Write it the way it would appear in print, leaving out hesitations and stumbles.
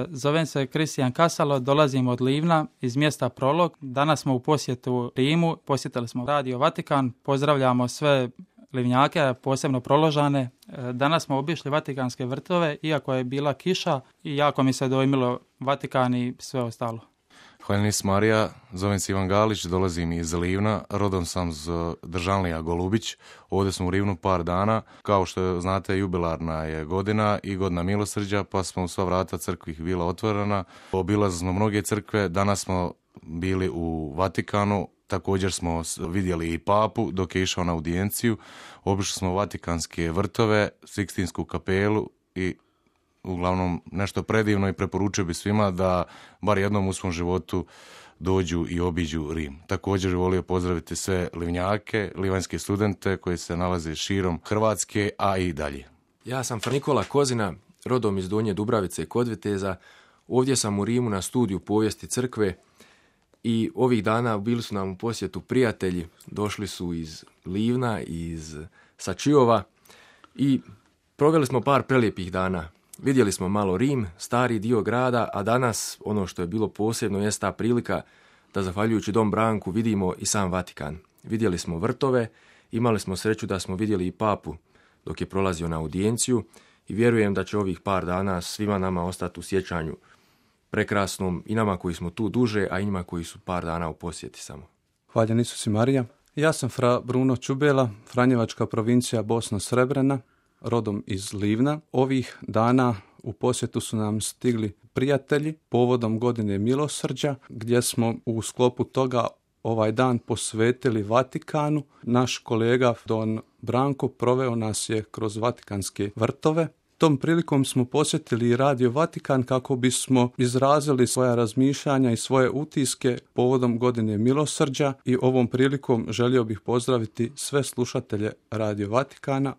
Zovem se Kristijan Kasalo, dolazim od Livna iz mjesta Prolog. Danas smo u posjetu Rimu, posjetili smo Radio Vatikan, pozdravljamo sve Livnjake, posebno Proložane. Danas smo obišli Vatikanske vrtove, iako je bila kiša i jako mi se dojmilo Vatikan i sve ostalo. Hvaljenis Marija, zovem se Ivan Galić, dolazim iz Livna, rodom sam z Državlija Golubić. Ovdje smo u Livnu par dana, kao što znate jubilarna je godina i godina milosrđa, pa smo u sva vrata crkvi bila otvorena. Obilazili smo mnoge crkve, danas smo bili u Vatikanu, također smo vidjeli i papu dok je išao na audijenciju, obišli smo Vatikanske vrtove, Sikstinsku kapelu i uglavnom nešto predivno i preporučio bi svima da bar jednom u svom životu dođu i obiđu Rim. Također bih volio pozdraviti sve Livnjake, livanjske studente koji se nalaze širom Hrvatske, a i dalje. Ja sam Nikola Kozina, rodom iz Donje Dubravice i kod Viteza. Ovdje sam u Rimu na studiju povijesti crkve i ovih dana bili su nam u posjetu prijatelji. Došli su iz Livna, iz Sačiova i proveli smo par prelijepih dana. Vidjeli smo malo Rim, stari dio grada, a danas ono što je bilo posebno jest ta prilika da zahvaljujući Dom Branku vidimo i sam Vatikan. Vidjeli smo vrtove, imali smo sreću da smo vidjeli i papu dok je prolazio na audijenciju i vjerujem da će ovih par dana svima nama ostati u sjećanju prekrasnom i nama koji smo tu duže, a i njima koji su par dana u posjeti samo. Hvaljen Isus i Marija. Ja sam fra Bruno Čubela, Franjevačka provincija Bosna Srebrena, rodom iz Livna. Ovih dana u posjetu su nam stigli prijatelji povodom godine milosrđa, gdje smo u sklopu toga ovaj dan posvetili Vatikanu. Naš kolega Don Branko proveo nas je kroz Vatikanske vrtove. Tom prilikom smo posjetili Radio Vatikan kako bismo izrazili svoja razmišljanja i svoje utiske povodom godine milosrđa i ovom prilikom želio bih pozdraviti sve slušatelje Radio Vatikana